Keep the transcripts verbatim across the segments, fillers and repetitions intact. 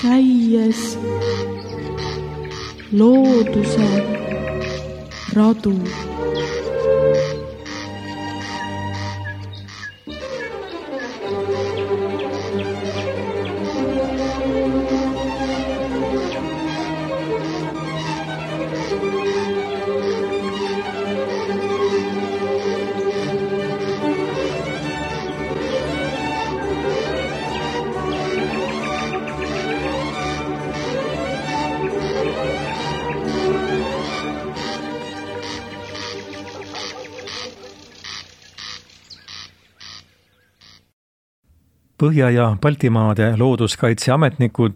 käies looduse radu. Põhja- ja Baltimaade looduskaitseametnikud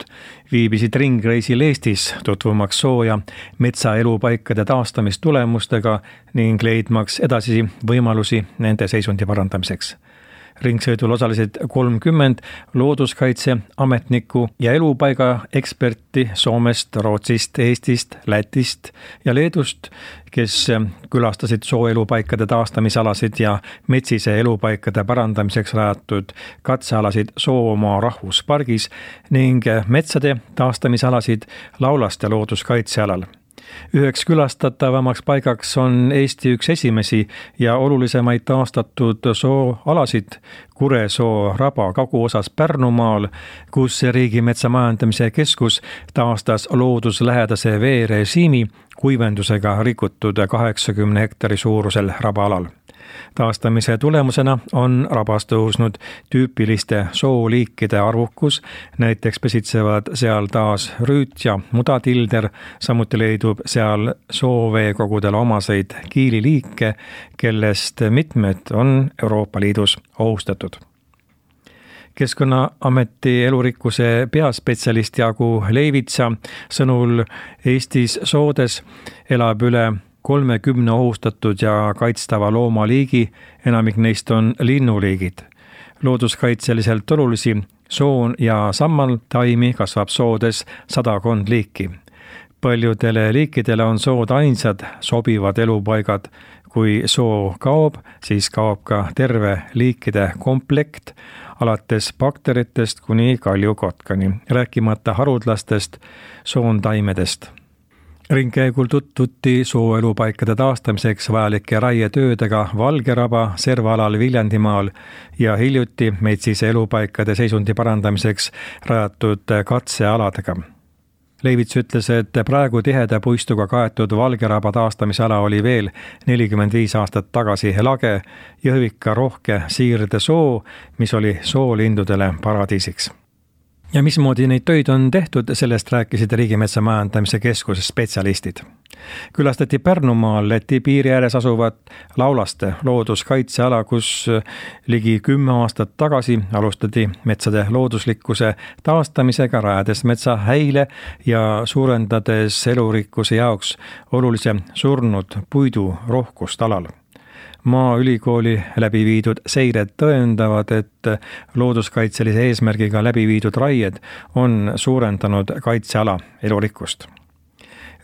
viibisid ringreisil Eestis tutvumaks soo- ja metsaelupaikade taastamistulemustega ning leidmaks edasi võimalusi nende seisundi parandamiseks. Ringsõidul osalesid kolmkümmend looduskaitseametnikku ja elupaiga eksperti Soomest, Rootsist, Eestist, Lätist ja Leedust, kes külastasid sooelupaikade taastamisalasid ja metsise elupaikade parandamiseks rajatud katsealasid Soomaa rahvuspargis ning metsade taastamisalasid Laulaste looduskaitsealal. Üheks külastatavamaks paigaks on Eesti üks esimesi ja olulisemaid taastatud sooalasid Kuresoo raba kaguosas Pärnumaal, kus Riigimetsa Majandamise Keskus taastas looduslähedase veerežiimi kuivendusega rikutud kaheksakümne hektari suurusel rabaalal. Taastamise tulemusena on rabas tõusnud tüüpiliste sooliikide arvukus, näiteks pesitsevad seal taas rüüt ja mudatilder, samuti leidub seal sooveekogudele omaseid kiililiike, kellest mitmed on Euroopa Liidus ohustatud. Keskkonnaameti elurikkuse peaspetsialist Jaagu Leivitsa sõnul Eestis soodes elab üle kolmekümne ohustatud ja kaitstava loomaliigi, enamik neist on linnuliigid. Looduskaitseliselt olulisi soon ja sammal taimi kasvab soodes sadakond liiki. Paljudele liikidele on sood ainsad sobivad elupaigad. Kui soo kaob, siis kaob ka terve liikide komplekt, alates bakteritest kuni kaljukotkani, rääkimata harudlastest soontaimedest. Ringkäigul tutvuti sooelupaikade taastamiseks vajalike raietöödega Valgeraba servaalal Viljandimaal ja hiljuti metsise elupaikade seisundi parandamiseks rajatud katsealadega. Leivits ütles, et praegu tiheda puistuga kaetud Valgeraba taastamisala oli veel nelikümmend viis aastat tagasi lage Jõhvika rohke siirde soo, mis oli soolindudele paradiisiks. Ja mismoodi neid töid on tehtud, sellest rääkisid Riigimetsa Majandamise Keskuse spetsialistid. Külastati Pärnumaal Läti piiri ääres asuvat Laulaste looduskaitseala, kus ligi kümme aastat tagasi alustati metsade looduslikkuse taastamisega, rajades metsa häile ja suurendades elurikkuse jaoks olulise surnud puidu rohkust alal. Maaülikooli läbi viidud seired tõendavad, et looduskaitselise eesmärgiga läbi viidud raied on suurendanud kaitseala elurikkust.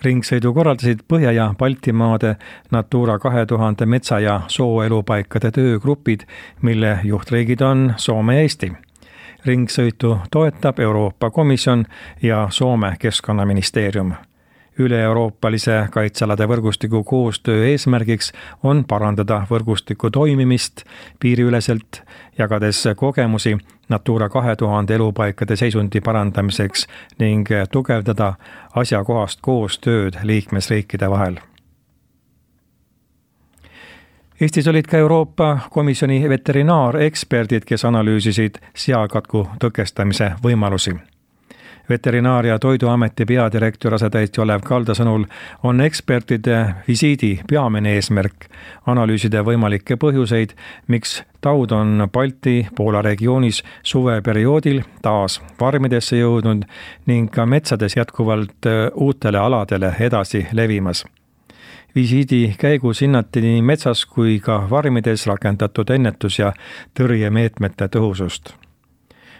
Ringsõidu korraldasid Põhja- ja Baltimaade Natura kahe tuhande metsa- ja sooelupaikade töögrupid, mille juhtriigid on Soome ja Eesti. Ringsõitu toetab Euroopa Komisjon ja Soome Keskkonnaministeerium. Üle-euroopalise kaitsealade võrgustiku koostöö eesmärgiks on parandada võrgustiku toimimist piiriüleselt, jagades kogemusi Natura kahe tuhande elupaikade seisundi parandamiseks ning tugevdada asjakohast koostööd liikmesriikide vahel. Eestis olid ka Euroopa Komisjoni veterinaareksperdid, kes analüüsisid seakatku tõkestamise võimalusi. Veterinaar- ja Toiduameti peadirektor asetäitja Olev Kalda sõnul on ekspertide visiidi peamine eesmärk analüüsida võimalikke põhjuseid, miks taud on Balti Poola regioonis suveperioodil taas farmidesse jõudnud ning ka metsades jätkuvalt uutele aladele edasi levimas. Visiidi käigus hinnati nii metsas kui ka farmides rakendatud ennetus- ja tõrjemeetmete tõhusust.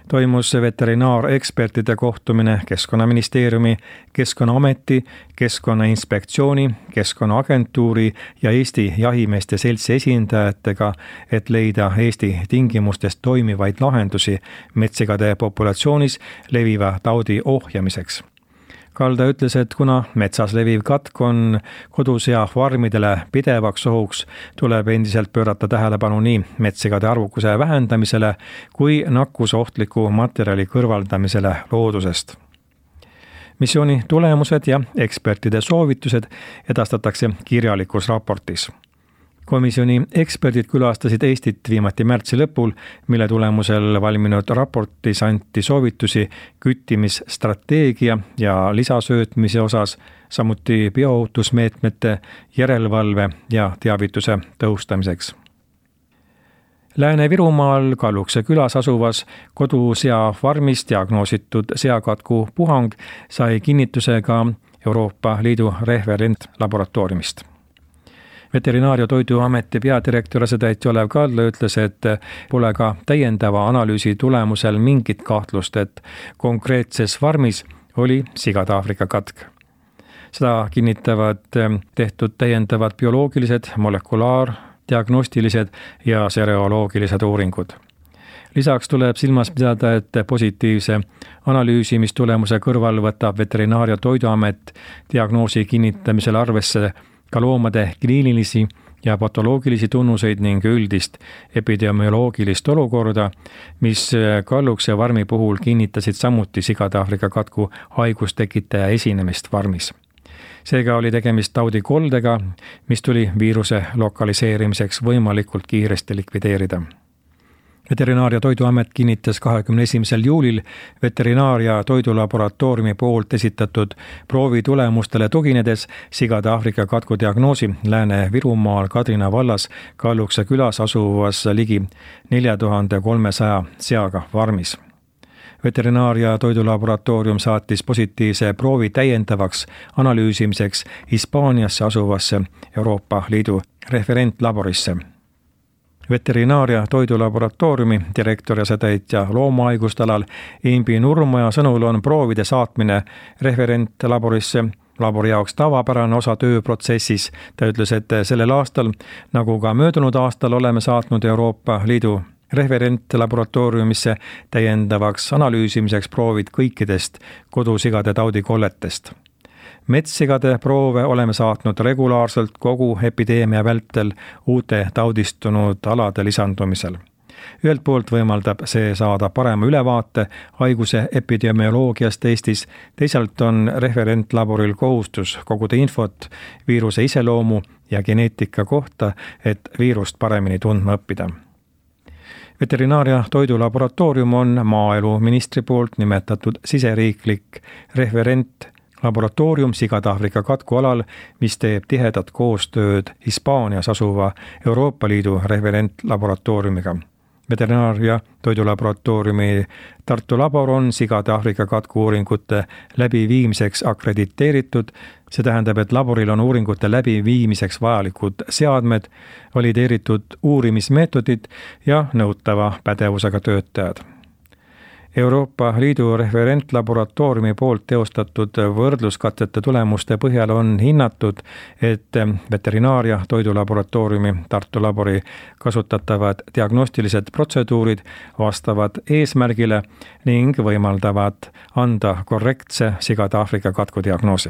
toimus veterinaarekspertide kohtumine Keskkonnaministeeriumi, Keskkonnaameti, Keskkonnainspektsiooni, Keskkonnaagentuuri ja Eesti Jahimeeste Seltsi esindajatega, et leida Eesti tingimustes toimivaid lahendusi metsigade populatsioonis leviva taudi ohjamiseks. Kalda ütles, et kuna metsas leviv katk on kodusea farmidele pidevaks ohuks, tuleb endiselt pöörata tähelepanu nii metsigade arvukuse vähendamisele kui nakkusohtliku materjali kõrvaldamisele loodusest. Missiooni tulemused ja ekspertide soovitused edastatakse kirjalikus raportis. Komisjoni eksperdid külastasid Eestit viimati märtsi lõpul, mille tulemusel valminud raportis anti soovitusi küttimisstrateegia ja lisasöötmise osas, samuti bioohutusmeetmete, järelevalve ja teavituse tõhustamiseks. Lääne-Virumaal Kallukse külas asuvas kodusea farmis diagnoositud seakatku puhang sai kinnituse ka Euroopa Liidu referentlaboratooriumist. Veterinaar- ja Toiduameti peadirektor asetäitja Olev Kaldla ütles, et pole ka täiendava analüüsi tulemusel mingit kahtlust, et konkreetses farmis oli sigade Aafrika katk. Seda kinnitavad tehtud täiendavad bioloogilised, molekulaar, diagnostilised ja sereoloogilised uuringud. Lisaks tuleb silmas pidada, et positiivse analüüsimistulemuse kõrval võtab Veterinaar- ja Toiduamet diagnoosi kinnitamisel arvesse ka loomade kliinilisi ja patoloogilisi tunnuseid ning üldist epidemioloogilist olukorda, mis Kallukse farmi puhul kinnitasid samuti sigade Aafrika katku haigustekitaja esinemist farmis. Seega oli tegemist taudikoldega, mis tuli viiruse lokaliseerimiseks võimalikult kiiresti likvideerida. Veterinaar- ja Toiduamet kinnitas kahekümne esimesel juulil Veterinaar- ja Toidulaboratooriumi poolt esitatud proovi tulemustele tuginedes sigade Aafrika katku diagnoosi Lääne-Virumaal Kadrina vallas Kallukse külas asuvas ligi nelja tuhande kolmesaja seaga farmis. Veterinaar- ja Toidulaboratoorium saatis positiivse proovi täiendavaks analüüsimiseks Hispaaniasse asuvasse Euroopa Liidu referentlaborisse. Veterinaar- ja Toidulaboratooriumi direktori asetäitja loomahaiguste alal Imbi Nurmoja sõnul on proovide saatmine referentlaborisse labori jaoks tavapärane osa tööprotsessis. Ta ütles, et sellel aastal, nagu ka möödunud aastal, oleme saatnud Euroopa Liidu referentlaboratooriumisse täiendavaks analüüsimiseks proovid kõikidest kodusigade taudikolletest. Metssigade proove oleme saatnud regulaarselt kogu epideemia vältel uute taudistunud alade lisandumisel. Ühelt poolt võimaldab see saada parema ülevaate haiguse epidemioloogiast Eestis, teisalt on referentlaboril kohustus koguda infot viiruse iseloomu ja geneetika kohta, et viirust paremini tundma õppida. Veterinaar- ja Toidulaboratoorium on maaeluministri poolt nimetatud siseriiklik referent laboratoorium sigade Aafrika katku alal, mis teeb tihedat koostööd Hispaanias asuva Euroopa Liidu referentlaboratooriumiga. Veterinaar- ja Toidulaboratooriumi Tartu labor on sigade Aafrika katku uuringute läbiviimiseks akrediteeritud. See tähendab, et laboril on uuringute läbiviimiseks vajalikud seadmed, valideeritud uurimismeetodid ja nõutava pädevusega töötajad. Euroopa Liidu referentlaboratooriumi poolt teostatud võrdluskatsete tulemuste põhjal on hinnatud, et Veterinaar- ja Toidulaboratooriumi Tartu labori kasutatavad diagnostilised protseduurid vastavad eesmärgile ning võimaldavad anda korrektse sigade Aafrika katku diagnoosi.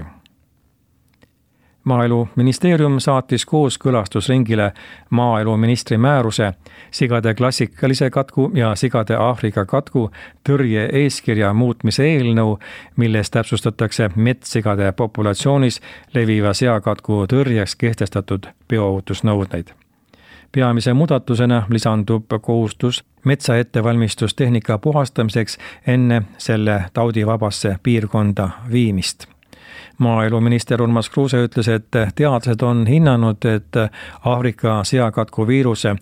Maaeluministeerium saatis kooskõlastusringile maaeluministri määruse sigade klassikalise katku ja sigade Aafrika katku tõrje eeskirja muutmise eelnõu, milles täpsustatakse metssigade populatsioonis leviva seakatku tõrjeks kehtestatud bioohutusnõudeid. Peamise muudatusena lisandub kohustus metsaettevalmistustehnika puhastamiseks enne selle taudivabasse piirkonda viimist. Maaeluminister Urmas Kruuse ütles, et teadlased on hinnanud, et Aafrika seakatku viiruse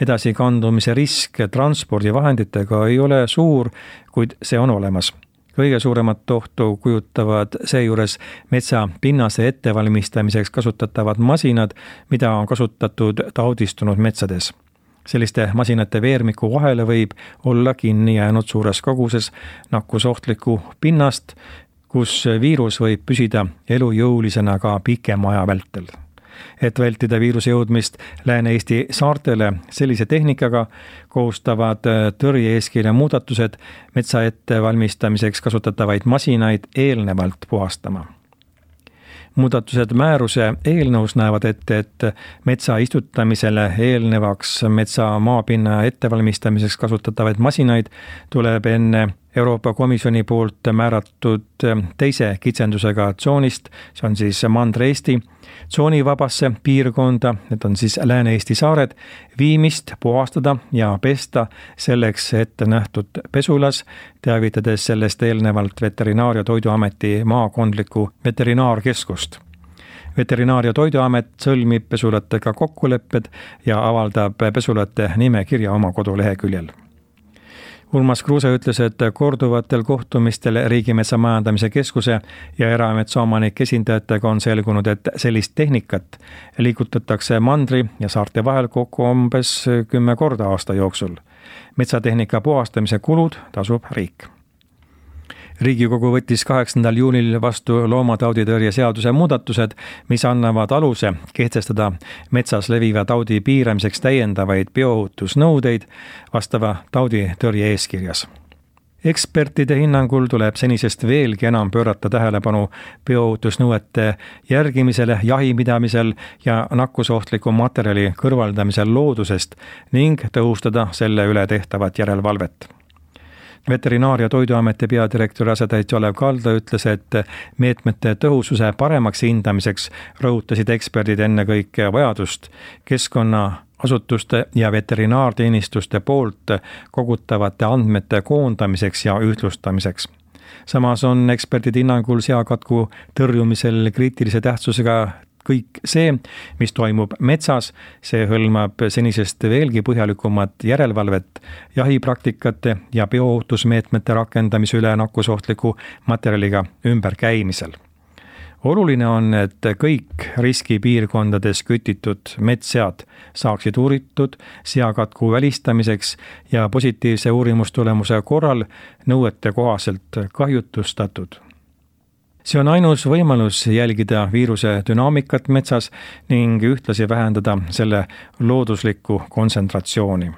edasikandumise risk transpordivahenditega ei ole suur, kuid see on olemas. Kõige suuremat ohtu kujutavad seejuures metsa pinnase ettevalmistamiseks kasutatavad masinad, mida on kasutatud taudistunud metsades. selliste masinate veermiku vahele võib olla kinni jäänud suures koguses nakkusohtlikku pinnast, kus viirus võib püsida elujõulisena ka pikema aja vältel. Et vältida viiruse jõudmist Lääne-Eesti saartele sellise tehnikaga, kohustavad tõrje-eeskirja muudatused metsa ettevalmistamiseks kasutatavaid masinaid eelnevalt puhastama. Muudatused määruse eelnõus näevad ette, et metsa istutamisele eelnevaks metsa maapinna ettevalmistamiseks kasutatavaid masinaid tuleb enne Euroopa Komisjoni poolt määratud teise kitsendusega tsoonist, see on siis Mandri-Eesti, tsoonivabasse piirkonda, need on siis Lääne-Eesti saared, viimist puhastada ja pesta selleks ette nähtud pesulas, teavitades sellest eelnevalt Veterinaar- ja Toiduameti maakondlikku veterinaarkeskust. Veterinaar- ja Toiduamet sõlmib pesulatega kokkulepped ja avaldab pesulate nimekirja oma koduleheküljel. Urmas Kruuse ütles, et korduvatel kohtumistel Riigimetsa Majandamise Keskuse ja erametsaomanike esindajatega on selgunud, et sellist tehnikat liigutatakse mandri ja saarte vahel kokku umbes kümme korda aasta jooksul. Metsatehnika puhastamise kulud tasub riik. Riigikogu võttis kaheksandal juunil vastu loomatauditõrje seaduse muudatused, mis annavad aluse kehtestada metsas leviva taudi piiramiseks täiendavaid bioohutusnõudeid vastava tauditõrje eeskirjas. Ekspertide hinnangul tuleb senisest veelgi enam pöörata tähelepanu bioohutusnõuete järgimisele jahipidamisel ja nakkusohtliku materjali kõrvaldamisel loodusest ning tõhustada selle üle tehtavat järelevalvet. Veterinaar- ja Toiduameti peadirektori asetäitja Olev Kalda ütles, et meetmete tõhususe paremaks hindamiseks rõhutasid eksperdid ennekõike vajadust keskkonnaasutuste ja veterinaarteenistuste poolt kogutavate andmete koondamiseks ja ühtlustamiseks. Samas on eksperdid hinnangul seakatku tõrjumisel kriitilise tähtsusega kõik see, mis toimub metsas, see hõlmab senisest veelgi põhjalikumat järelevalvet jahipraktikate ja bioohutusmeetmete rakendamise üle nakkusohtliku materjaliga ümberkäimisel. Oluline on, et kõik riskipiirkondades kütitud metssead saaksid uuritud seakatku välistamiseks ja positiivse uurimustulemuse korral nõuete kohaselt kahjutustatud. See on ainus võimalus jälgida viiruse dünaamikat metsas ning ühtlasi vähendada selle looduslikku kontsentratsiooni.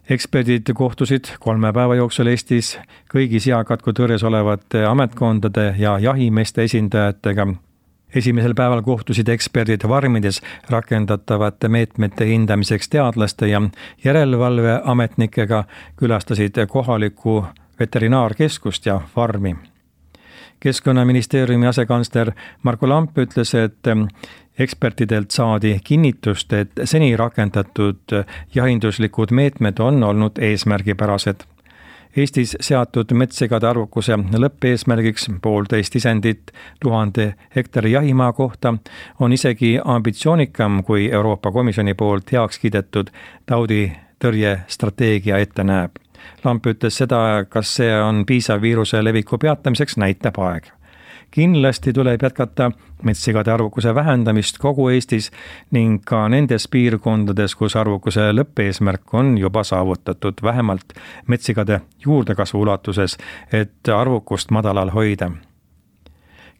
Eksperdid kohtusid kolme päeva jooksul Eestis kõigi seakatku tõrjes olevate ametkondade ja jahimeeste esindajatega. Esimesel päeval kohtusid eksperdid farmides rakendatavate meetmete hindamiseks teadlaste ja järelevalveametnikega, külastasid kohalikku veterinaarkeskust ja farmi. Keskkonnaministeeriumi asekantsler Marko Lamp ütles, et ekspertidelt saadi kinnitust, et seni rakendatud jahinduslikud meetmed on olnud eesmärgipärased. Eestis seatud metssegade arvukuse lõppeesmärgiks poolteist isendit tuhande hektari jahimaa kohta on isegi ambitsioonikam, kui Euroopa Komisjoni poolt heaks kiidetud tauditõrje strateegia ette näeb. Lamp ütles seda, kas see on piisav viiruse leviku peatamiseks, näitab aeg. Kindlasti tuleb jätkata metssegade arvukuse vähendamist kogu Eestis ning ka nendes piirkondades, kus arvukuse lõppeesmärk on juba saavutatud vähemalt metssegade juurdekasvu ulatuses, et arvukust madalal hoida.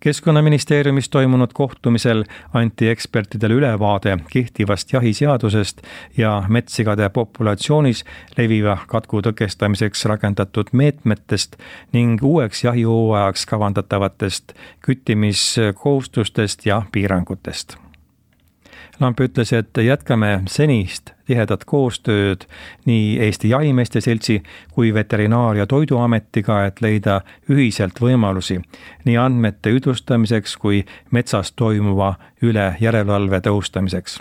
Keskkonnaministeeriumis toimunud kohtumisel anti ekspertidele ülevaade kehtivast jahiseadusest ja metssegade populatsioonis leviva katku tõkestamiseks rakendatud meetmetest ning uueks jahihooajaks kavandatavatest küttimiskohustustest ja piirangutest. Lamp ütles, et jätkame senist tihedat koostööd nii Eesti Jahimeeste Seltsi kui Veterinaar- ja Toiduametiga, et leida ühiselt võimalusi nii andmete üdlustamiseks kui metsas toimuva üle järelevalve tõhustamiseks.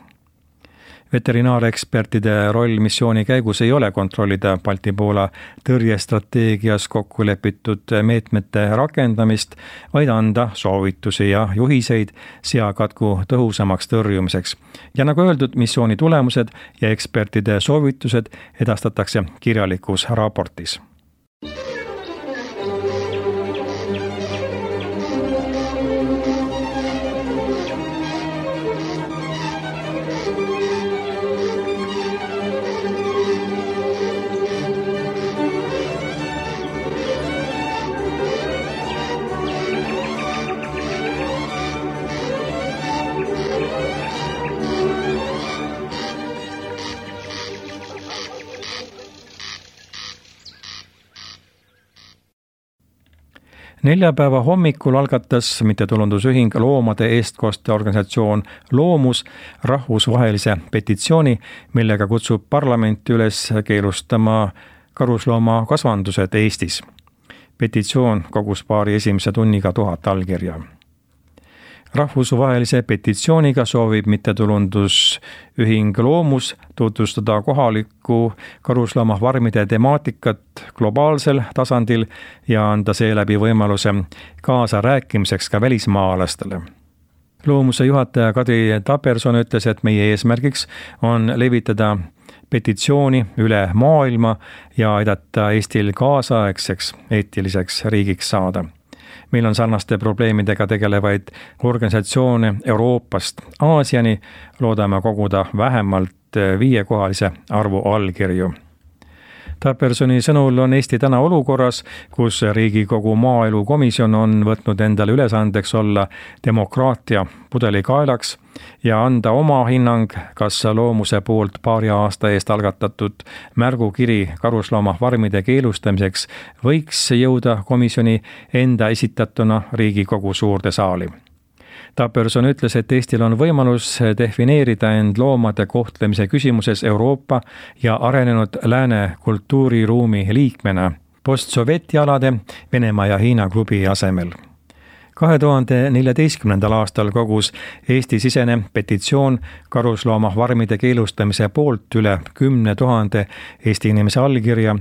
Veterinaarekspertide roll missiooni käigus ei ole kontrollida Balti-Poola tõrjestrateegias kokku lepitud meetmete rakendamist, vaid anda soovitusi ja juhiseid seakatku tõhusamaks tõrjumiseks. Ja nagu öeldud, missiooni tulemused ja ekspertide soovitused edastatakse kirjalikus raportis. neljapäeva hommikul algatas mittetulundusühing Loomade Eestkoste organisatsioon Loomus rahvusvahelise petitsiooni, millega kutsub parlamenti üles keelustama karusloomakasvandused Eestis. Petitsioon kogus paari esimese tunniga tuhat allkirja. Rahvusvahelise petitsiooniga soovib mittetulundusühing Loomus tutvustada kohalikku karusloomafarmide temaatikat globaalsel tasandil ja anda seeläbi võimaluse kaasa rääkimiseks ka välismaalastele. Loomuse juhataja Kadri Taperson ütles, et meie eesmärgiks on levitada petitsiooni üle maailma ja aidata Eestil kaasaegseks eetiliseks riigiks saada. Meil on sarnaste probleemidega tegelevaid organisatsioone Euroopast Aasiani, loodame koguda vähemalt viiekohalise arvu allkirju. Tapersoni sõnul on Eesti täna olukorras, kus Riigikogu maaelukomisjon on võtnud endale ülesandeks olla demokraatia pudelikaelaks ja anda oma hinnang, kas Loomuse poolt paari aasta eest algatatud märgukiri karusloomafarmide keelustamiseks võiks jõuda komisjoni enda esitatuna Riigikogu suurde saali. Taperson ütles, et Eestil on võimalus defineerida end loomade kohtlemise küsimuses Euroopa ja arenenud lääne kultuuriruumi liikmena postsovjetialade Venemaa ja Hiina klubi asemel. kahe tuhande neljateistkümnendal aastal kogus Eesti-sisene petitsioon karusloomafarmide keelustamise poolt üle kümne tuhande Eesti inimese allkirja.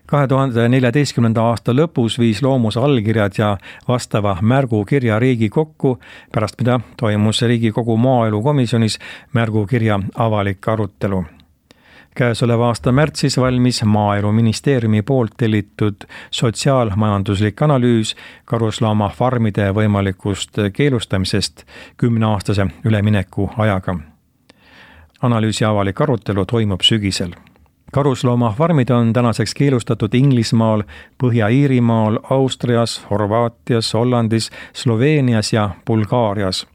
kahe tuhande neljateistkümnenda aasta lõpus viis Loomuse allkirjad ja vastava märgukirja Riigikokku, pärast mida toimus Riigikogu maaelukomisjonis märgukirja avalik arutelu. Käesoleva aasta märtsis valmis Maaeluministeeriumi poolt tellitud sotsiaalmajanduslik analüüs karusloomafarmide võimalikust keelustamisest kümneaastase ülemineku ajaga. Analüüsi avalik arutelu toimub sügisel. Karusloomafarmid on tänaseks keelustatud Inglismaal, Põhja-Iirimaal, Austrias, Horvaatias, Hollandis, Sloveenias ja Bulgaarias.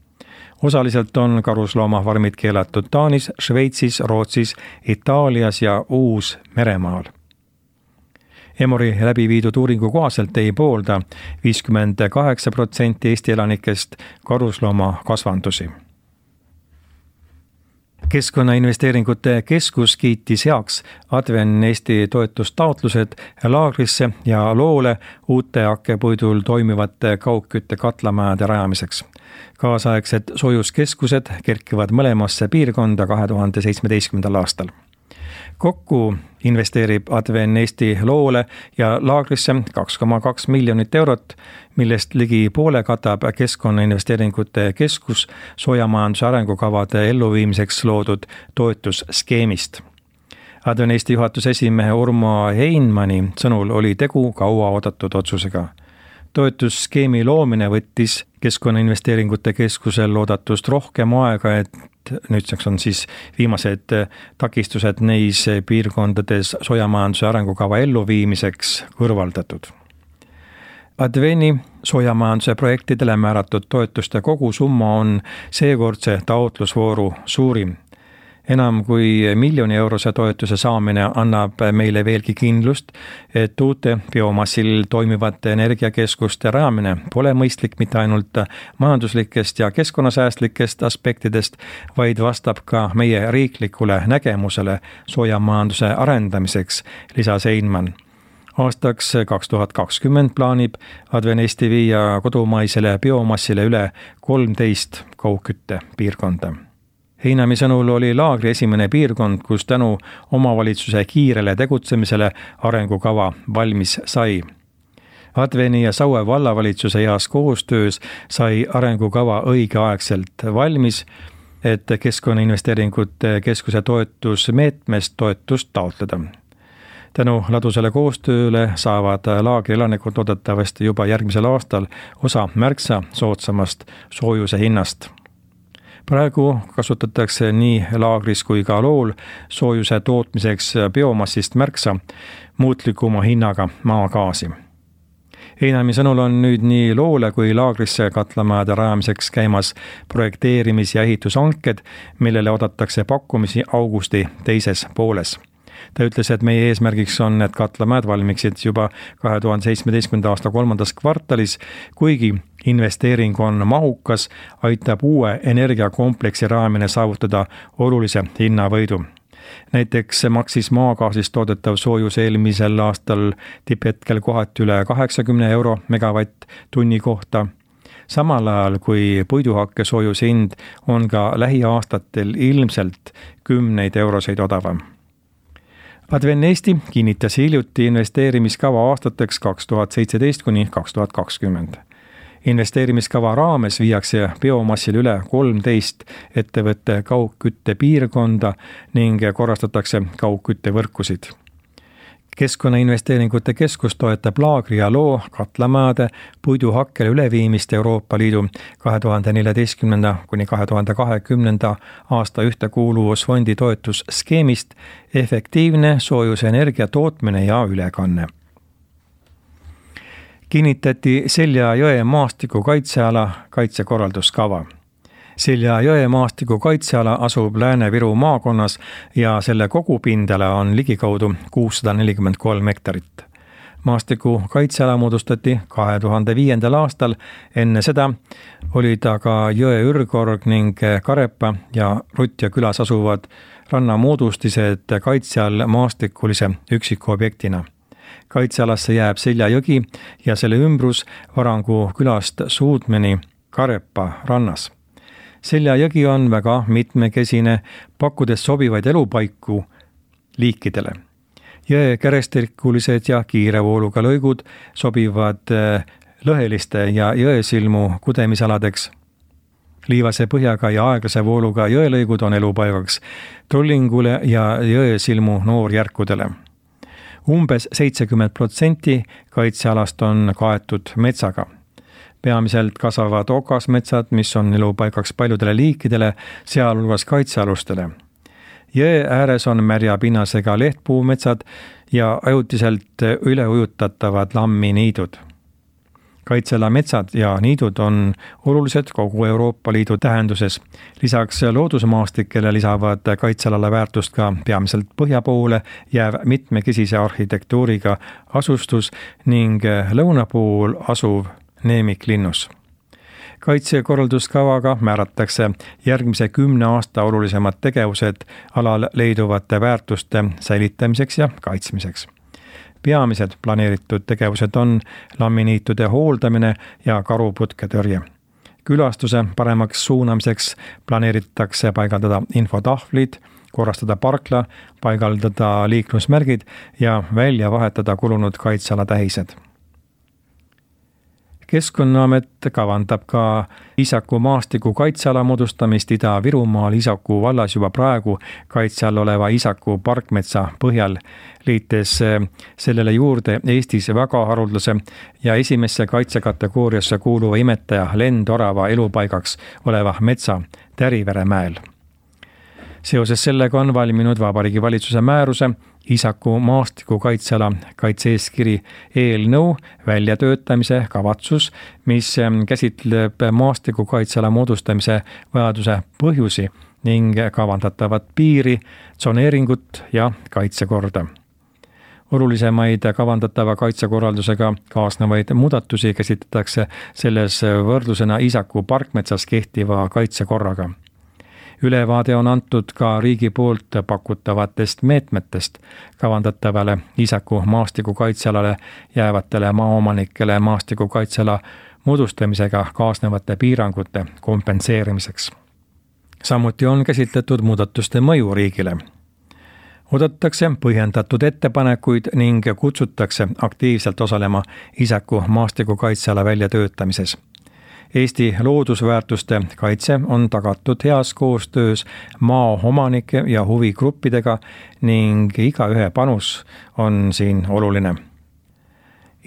Osaliselt on karusloomafarmid keelatud Taanis, Šveitsis, Rootsis, Itaalias ja Uus-Meremaal. Emori läbi viidud uuringu kohaselt ei poolda viiskümmend kaheksa protsenti Eesti elanikest karusloomakasvandusi. Keskkonnainvesteeringute keskus kiitis heaks Adven Eesti toetustaotlused Laagrisse ja Loole uute hakkepuidul toimivate kaugkütte katlamajade rajamiseks. Kaasaegsed soojuskeskused kerkivad mõlemasse piirkonda kahe tuhande seitsmeteistkümnendal aastal. Kokku investeerib Adven Eesti Loole ja Laagrisse kaks koma kaks miljonit eurot, millest ligi poole katab Keskkonnainvesteeringute keskus soojamajanduse arengukavade elluviimiseks loodud toetusskeemist. Adven Eesti juhatuse esimehe Urmo Heinmani sõnul oli tegu kaua oodatud otsusega. Toetusskeemi loomine võttis Keskkonnainvesteeringute keskusel loodatust rohkem aega, et nüüdseks on siis viimased takistused neis piirkondades soojamajanduse arengukava elluviimiseks kõrvaldatud. Adveni soojamajanduse projektidele määratud toetuste kogusumma on seekordse taotlusvooru suurim. Enam kui miljoni eurose toetuse saamine annab meile veelgi kindlust, et uute biomassil toimivate energiakeskuste rajamine pole mõistlik mitte ainult majanduslikest ja keskkonnasäästlikest aspektidest, vaid vastab ka meie riiklikule nägemusele soojamajanduse arendamiseks, lisas Heinman. Aastaks kaks tuhat kakskümmend plaanib Adven Eesti viia kodumaisele biomassile üle kolmteist kaugkütte piirkonda. Heinami sõnul oli Laagri esimene piirkond, kus tänu omavalitsuse kiirele tegutsemisele arengukava valmis sai. Adveni ja Saue vallavalitsuse heas koostöös sai arengukava õigeaegselt valmis, et Keskkonnainvesteeringute keskuse toetusmeetmest toetust taotleda. Tänu ladusale koostööle saavad Laagri elanikud loodetavasti juba järgmisel aastal osa märksa soodsamast soojuse hinnast. Praegu kasutatakse nii Laagris kui ka Lool soojuse tootmiseks biomassist märksa muutlikuma hinnaga maagaasi. Heinami sõnul on nüüd nii Loole kui Laagrisse katlamajade rajamiseks käimas projekteerimis- ja ehitushanked, millele oodatakse pakkumisi augusti teises pooles. ta ütles, et meie eesmärgiks on, et katlamäed valmiksid juba kahe tuhande seitsmeteistkümnenda aasta kolmandas kvartalis, kuigi investeering on mahukas, aitab uue energiakompleksi raamine saavutada olulise hinnavõidu. Näiteks maksis maagaasist toodetav soojus eelmisel aastal tipphetkel kohati üle kaheksakümne euro megavatt tunni kohta. Samal ajal kui puiduhakke soojuse hind on ka lähiaastatel ilmselt kümneid euroseid odavam. Advennesti kinnitas hiljuti investeerimiskava aastateks kaks tuhat seitseteist kuni kaks tuhat kakskümmend. Investeerimiskava raames viiakse biomassil üle kolmteist ettevõtte kaugkütte piirkonda ning korrastatakse kaugküttevõrkusid. Keskkonnainvesteeringute keskus toetab laagri ja loo katlamajade puiduhakkele üleviimist Euroopa Liidu kahe tuhande neljateistkümnenda kuni kahe tuhande kahekümnenda aasta ühtekuuluvusfondi toetusskeemist efektiivne soojusenergia tootmine ja ülekanne. Kinnitati Selja jõe maastiku kaitseala kaitsekorralduskava. Selja jõe maastiku kaitseala asub Lääne-Viru maakonnas ja selle kogupindala on ligikaudu kuussada nelikümmend kolm hektarit. Maastiku kaitseala moodustati kahe tuhande viiendal aastal, enne seda olid aga jõe ürgorg ning Karepa ja Rutja külas asuvad rannamoodustised kaitse all maastikulise üksikobjektina. Kaitsealasse jääb Selja jõgi ja selle ümbrus Varangu külast Suudmeni Karepa rannas. Selja jõgi on väga mitmekesine, pakkudes sobivaid elupaiku liikidele. Jõe kärestikulised ja kiire vooluga lõigud sobivad lõheliste ja jõesilmu kudemisaladeks. Liivase põhjaga ja aeglase vooluga jõelõigud on elupaigaks trollingule ja jõesilmu noorjärkudele. Umbes seitsekümmend protsenti kaitsealast on kaetud metsaga. Peamiselt kasvavad okasmetsad, mis on elupaigaks paljudele liikidele, sealhulgas kaitsealustele. Jõe ääres on märja pinnasega lehtpuumetsad ja ajutiselt üleujutatavad lamminiidud. Kaitseala metsad ja niidud on olulised kogu Euroopa Liidu tähenduses. Lisaks loodusmaastikele lisavad kaitsealale väärtust ka peamiselt põhja poole jääv mitmekesise arhitektuuriga asustus ning lõuna pool asuv neemiklinnus. Kaitsekorralduskavaga määratakse järgmise kümne aasta olulisemad tegevused alal leiduvate väärtuste säilitamiseks ja kaitsmiseks. Peamised planeeritud tegevused on lamminiitude hooldamine ja karuputketõrje. Külastuse paremaks suunamiseks planeeritakse paigaldada infotahvlid, korrastada parkla, paigaldada liiklusmärgid ja välja vahetada kulunud kaitseala tähised. Keskkonnaamet kavandab ka Iisaku maastiku kaitseala moodustamist Ida-Virumaal Iisaku vallas juba praegu kaitse all oleva Iisaku parkmetsa põhjal, liites sellele juurde Eestis väga haruldase ja esimesse kaitsekategooriasse kuuluva imetaja lendorava elupaigaks oleva metsa Täriveremäel. Seoses sellega on valminud Vabariigi Valitsuse määruse Iisaku maastiku kaitseala kaitse-eeskiri eelnõu väljatöötamise kavatsus, mis käsitleb maastiku kaitseala moodustamise vajaduse põhjusi ning kavandatavat piiri, tsoneeringut ja kaitsekorda. Olulisemaid kavandatava kaitsekorraldusega kaasnevaid muudatusi käsitletakse selles võrdlusena Iisaku parkmetsas kehtiva kaitsekorraga. Ülevaade on antud ka riigi poolt pakutavatest meetmetest kavandatavale Iisaku maastiku kaitsealale jäävatele maaomanikele maastiku kaitseala moodustamisega kaasnevate piirangute kompenseerimiseks. Samuti on käsitletud muudatuste mõju riigile. Oodatakse põhjendatud ettepanekuid ning kutsutakse aktiivselt osalema Iisaku maastiku kaitseala väljatöötamises. Eesti loodusväärtuste kaitse on tagatud heas koostöös maaomanike ja huvigruppidega ning igaühe panus on siin oluline.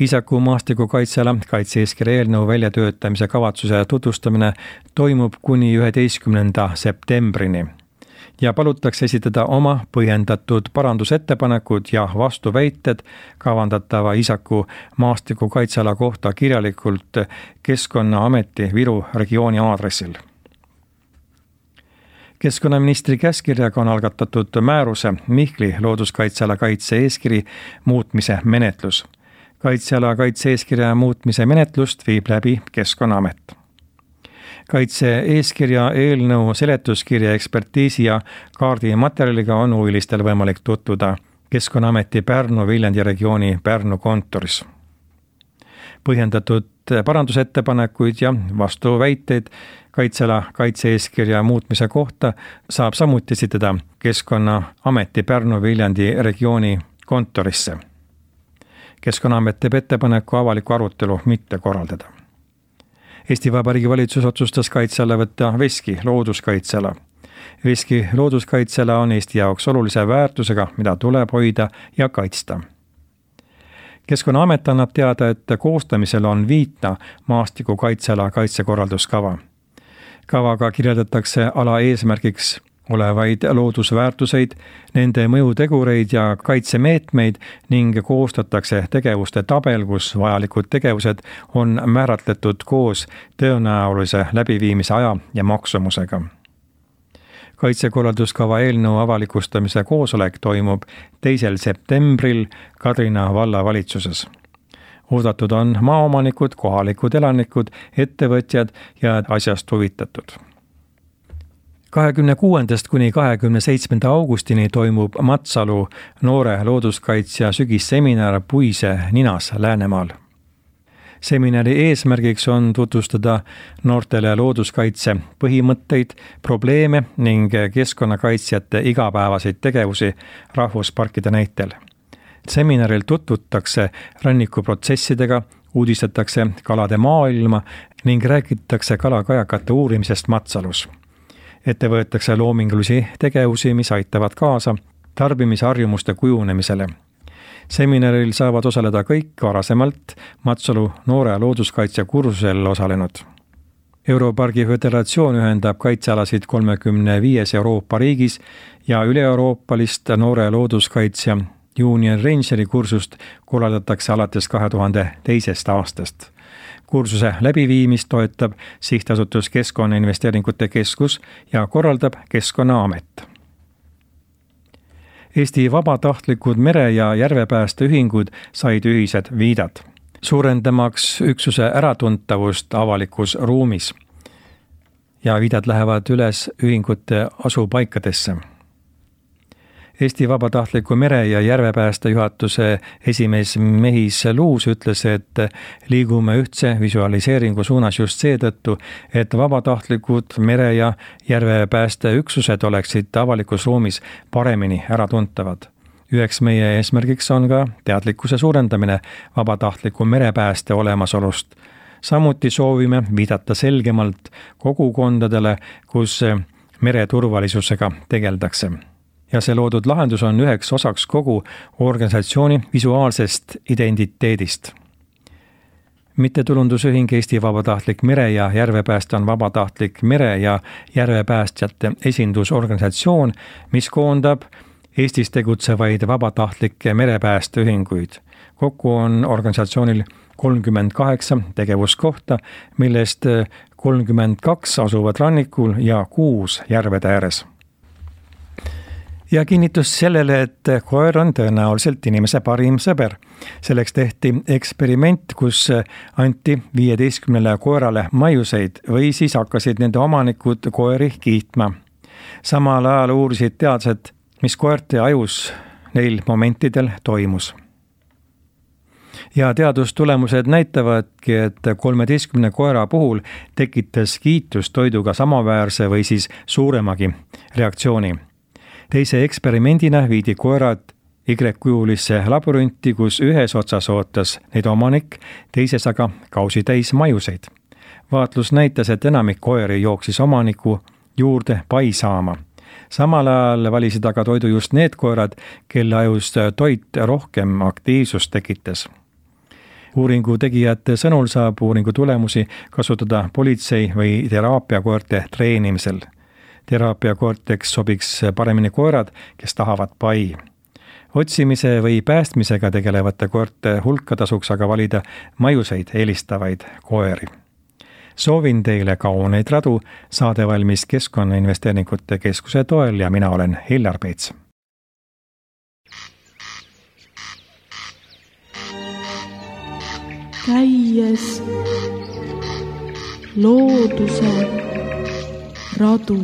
Iisaku maastiku kaitseala kaitse-eeskiri eelnõu väljatöötamise kavatsuse tutvustamine toimub kuni üheteistkümnenda septembrini ja palutakse esitada oma põhjendatud parandusettepanekud ja vastuväited kavandatava Iisaku maastiku kaitseala kohta kirjalikult Keskkonnaameti Viru regiooni aadressil. keskkonnaministri käskkirjaga on algatatud määruse Mihkli looduskaitseala kaitse-eeskiri muutmise menetlus. Kaitseala kaitse-eeskirja muutmise menetlust viib läbi Keskkonnaamet. Kaitse-eeskirja eelnõu seletuskirja ekspertiisi ja kaardimaterjaliga on huvilistel võimalik tutvuda Keskkonnaameti Pärnu-Viljandi regiooni Pärnu kontoris. Põhjendatud parandusettepanekuid ja vastuväiteid kaitseala kaitse-eeskirja muutmise kohta saab samuti esitada Keskkonnaameti Pärnu-Viljandi regiooni kontorisse. Keskkonnaamet teeb ettepaneku avaliku arutelu mitte korraldada. Eesti Vabariigi valitsus otsustas kaitsealla võtta Veski looduskaitseala. Veski looduskaitseala on Eesti jaoks olulise väärtusega, mida tuleb hoida ja kaitsta. Keskkonnaamet annab teada, et koostamisel on viita maastiku kaitseala kaitsekorralduskava. Kavaga kirjeldatakse ala eesmärgiks olevaid loodusväärtuseid, nende mõjutegureid ja kaitsemeetmeid ning koostatakse tegevuste tabel, kus vajalikud tegevused on määratletud koos tõenäolise läbiviimise aja ja maksumusega. Kaitsekorralduskava eelnõu avalikustamise koosolek toimub teisel septembril Kadrina vallavalitsuses. Oodatud on maaomanikud, kohalikud elanikud, ettevõtjad ja asjast huvitatud. kahekümne kuuendast kuni kahekümne seitsmenda augustini toimub Matsalu noore looduskaitsja sügisseminar Puise ninas Läänemaal. Seminari eesmärgiks on tutvustada noortele looduskaitse põhimõtteid, probleeme ning keskkonnakaitsjate igapäevaseid tegevusi rahvusparkide näitel. Seminaril tutvutakse rannikuprotsessidega, uudistatakse kalade maailma ning räägitakse kalakajakate uurimisest Matsalus. Ette võetakse loomingulisi tegevusi, mis aitavad kaasa tarbimisharjumuste kujunemisele. Seminaril saavad osaleda kõik varasemalt Matsalu noore looduskaitse kursusel osalenud. Europargi föderatsioon ühendab kaitsealasid kolmekümne viies Euroopa riigis ja üle-euroopalist noore looduskaitsja Junior Rangeri kursust korraldatakse alates kahe tuhande teisest aastast. Kursuse läbiviimist toetab sihtasutus Keskkonnainvesteeringute Keskus ja korraldab Keskkonnaamet. Eesti vabatahtlikud mere- ja järvepäästeühingud said ühised viidad, suurendamaks üksuse äratuntavust avalikus ruumis. Ja viidad lähevad üles ühingute asupaikadesse. Eesti vabatahtliku mere- ja järvepääste juhatuse esimees Mehis Luus ütles, et liigume ühtse visualiseeringu suunas just seetõttu, et vabatahtlikud mere- ja järvepäästeüksused oleksid avalikus ruumis paremini äratuntavad. Üheks meie eesmärgiks on ka teadlikkuse suurendamine vabatahtliku merepääste olemasolust. Samuti soovime viidata selgemalt kogukondadele, kus mereturvalisusega tegeldakse. Ja see loodud lahendus on üheks osaks kogu organisatsiooni visuaalsest identiteedist. Mittetulundusühing Eesti Vabatahtlik mere- ja järvepääste on vabatahtlik mere- ja järvepäästjate esindusorganisatsioon, mis koondab Eestis tegutsevaid vabatahtlikke merepäästeühinguid. Kokku on organisatsioonil kolmkümmend kaheksa tegevuskohta, millest kolmkümmend kaks asuvad rannikul ja kuus järvede ääres. Ja kinnitus sellele, et koer on tõenäoliselt inimese parim sõber. Selleks tehti eksperiment, kus anti viieteistkümnele koerale maiuseid või siis hakkasid nende omanikud koeri kiitma. Samal ajal uurisid teadlased, mis koerte ajus neil momentidel toimus. Ja teadustulemused näitavadki, et kolmeteistkümne koera puhul tekitas kiitus toiduga samaväärse või siis suuremagi reaktsiooni. Teise eksperimendina viidi koerad Y-kujulisse labyrinti, kus ühes otsas ootas neid omanik, teises aga kausi täis maiuseid. Vaatlus näitas, et enamik koeri jooksis omaniku juurde pai saama. Samal ajal valisid aga toidu just need koerad, kelle ajus toit rohkem aktiivsust tekitas. Uuringu tegijate sõnul saab uuringu tulemusi kasutada politsei või teraapiakoerte treenimisel. Teraapiakoorteks sobiks paremini koerad, kes tahavad pai. Otsimise või päästmisega tegelevate koerte hulka tasuks aga valida maiuseid eelistavaid koeri. soovin teile kauneid radu, saade valmis Keskkonnainvesteeringute Keskuse toel ja mina olen Hillar Peets. Käies looduse radu.